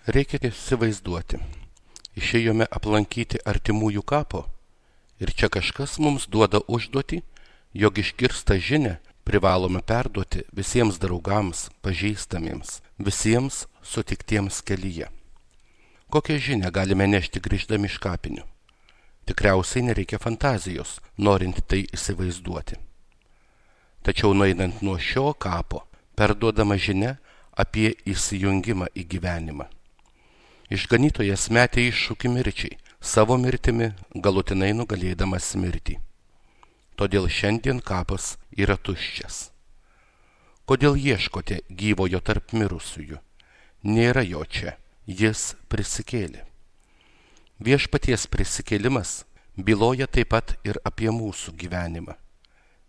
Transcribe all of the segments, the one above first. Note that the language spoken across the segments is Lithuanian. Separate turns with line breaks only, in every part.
Reikia įsivaizduoti. Išėjome aplankyti artimųjų kapo ir čia kažkas mums duoda užduotį, jog išgirstą žinią privalome perduoti visiems draugams, pažįstamiems, visiems sutiktiems kelyje. Kokią žinią galime nešti grįždami iš kapinių? Tikriausiai nereikia fantazijos, norint tai įsivaizduoti. Tačiau nueinant nuo šio kapo, perduodama žinia apie įsijungimą į gyvenimą. Išganytojas metė iššūkį mirčiai, savo mirtimi galutinai nugalėdamas mirtį. Todėl šiandien kapas yra tuščias. Kodėl ieškote gyvojo tarp mirusiųjų? Nėra jo čia, jis prisikėlė. Viešpaties prisikėlimas byloja taip pat ir apie mūsų gyvenimą.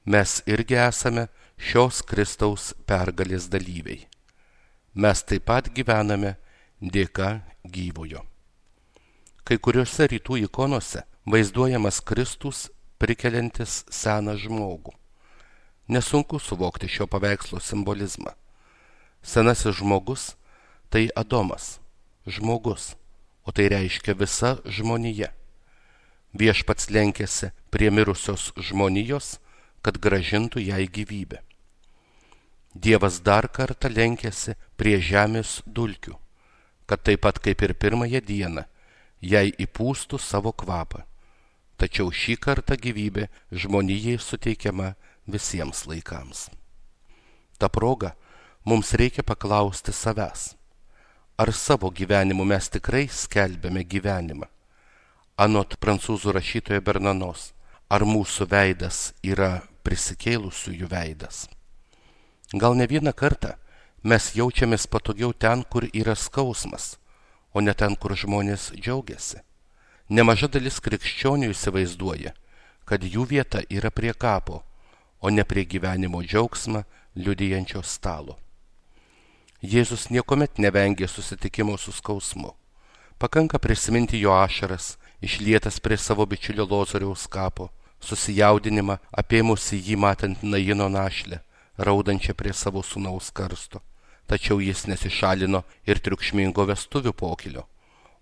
Mes irgi esame šios Kristaus pergalės dalyviai. Mes taip pat gyvename dėka gyvojo. Kai kuriuose rytų ikonose vaizduojamas Kristus prikeliantis seną žmogų. Nesunku suvokti šio paveikslo simbolizmą. Senasis žmogus tai Adomas, žmogus, o tai reiškia visa žmonija. Viešpats lenkėsi prie mirusios žmonijos, kad grąžintų jai gyvybę. Dievas dar kartą lenkėsi prie žemės dulkių, kad taip pat kaip ir pirmąją dieną jai įpūstų savo kvapą. Tačiau šį kartą gyvybė žmonijai suteikiama visiems laikams. Ta proga mums reikia paklausti savęs, ar savo gyvenimu mes tikrai skelbiame gyvenimą? Anot prancūzų rašytojo Bernanos, ar mūsų veidas yra prisikėlusiųjų veidas? Gal ne vieną kartą mes jaučiamės patogiau ten, kur yra skausmas, o ne ten, kur žmonės džiaugiasi. Nemaža dalis krikščionių įsivaizduoja, kad jų vieta yra prie kapo, o ne prie gyvenimo džiaugsmą liudijančio stalo. Jėzus niekuomet nevengė susitikimo su skausmu. Pakanka prisiminti jo ašaras, išlietas prie savo bičiulio Lozoriaus kapo, susijaudinimą apėmusi jį matant Naino našlę, raudančią prie savo sūnaus karsto. Tačiau jis nesišalino ir triukšmingo vestuvių pokylio,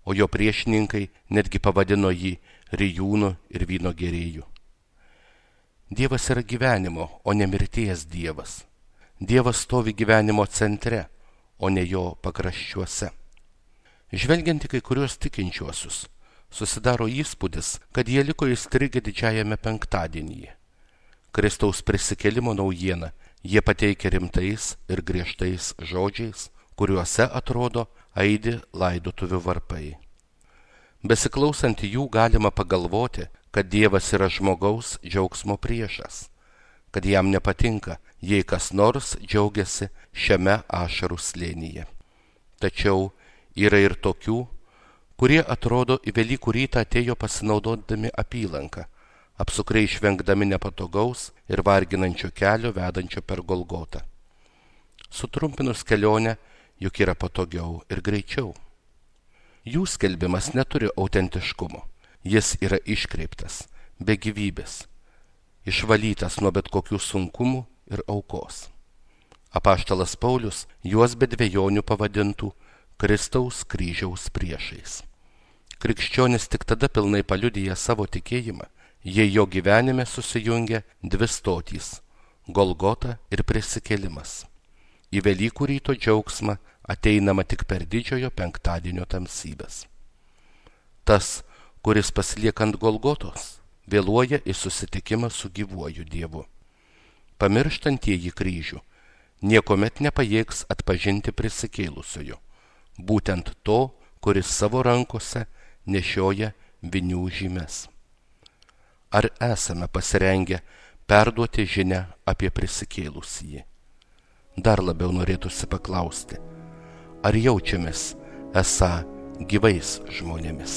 o jo priešininkai netgi pavadino jį rijūnu ir vyno gėrėju. Dievas yra gyvenimo, o ne mirties Dievas. Dievas stovi gyvenimo centre, o ne jo pakraščiuose. Žvelgiant į kai kuriuos tikinčiuosius, susidaro įspūdis, kad jie liko įstrigę didžiajame penktadienyje. Kristaus prisikėlimo naujieną jie pateikia rimtais ir griežtais žodžiais, kuriuose atrodo aidi laidotuvių varpai. Besiklausant jų galima pagalvoti, kad Dievas yra žmogaus džiaugsmo priešas, kad jam nepatinka, jei kas nors džiaugiasi šiame ašarų slėnyje. Tačiau yra ir tokių, kurie atrodo į Velykų rytą atėjo pasinaudodami apylanką, apsukriai išvengdami nepatogaus ir varginančio kelio vedančio per Golgotą. Sutrumpinus kelionę, juk yra patogiau ir greičiau. Jų skelbimas neturi autentiškumo, jis yra iškreiptas, be gyvybės, išvalytas nuo bet kokių sunkumų ir aukos. Apaštalas Paulius juos be dvejonių pavadintų Kristaus kryžiaus priešais. Krikščionis tik tada pilnai paliudija savo tikėjimą, jei jo gyvenime susijungia dvi stotys – Golgota ir prisikėlimas. Į Velykų ryto džiaugsmą ateinama tik per didžiojo penktadienio tamsybės. Tas, kuris pasilieka ant Golgotos, vėluoja į susitikimą su gyvuoju Dievu. Pamirštantieji kryžių niekuomet nepajėgs atpažinti prisikėlusiojo, būtent to, kuris savo rankose nešioja vinių žymes. Ar esame pasirengę perduoti žinią apie prisikėlusįjį? Dar labiau norėtųsi paklausti, ar jaučiamės esą gyvais žmonėmis?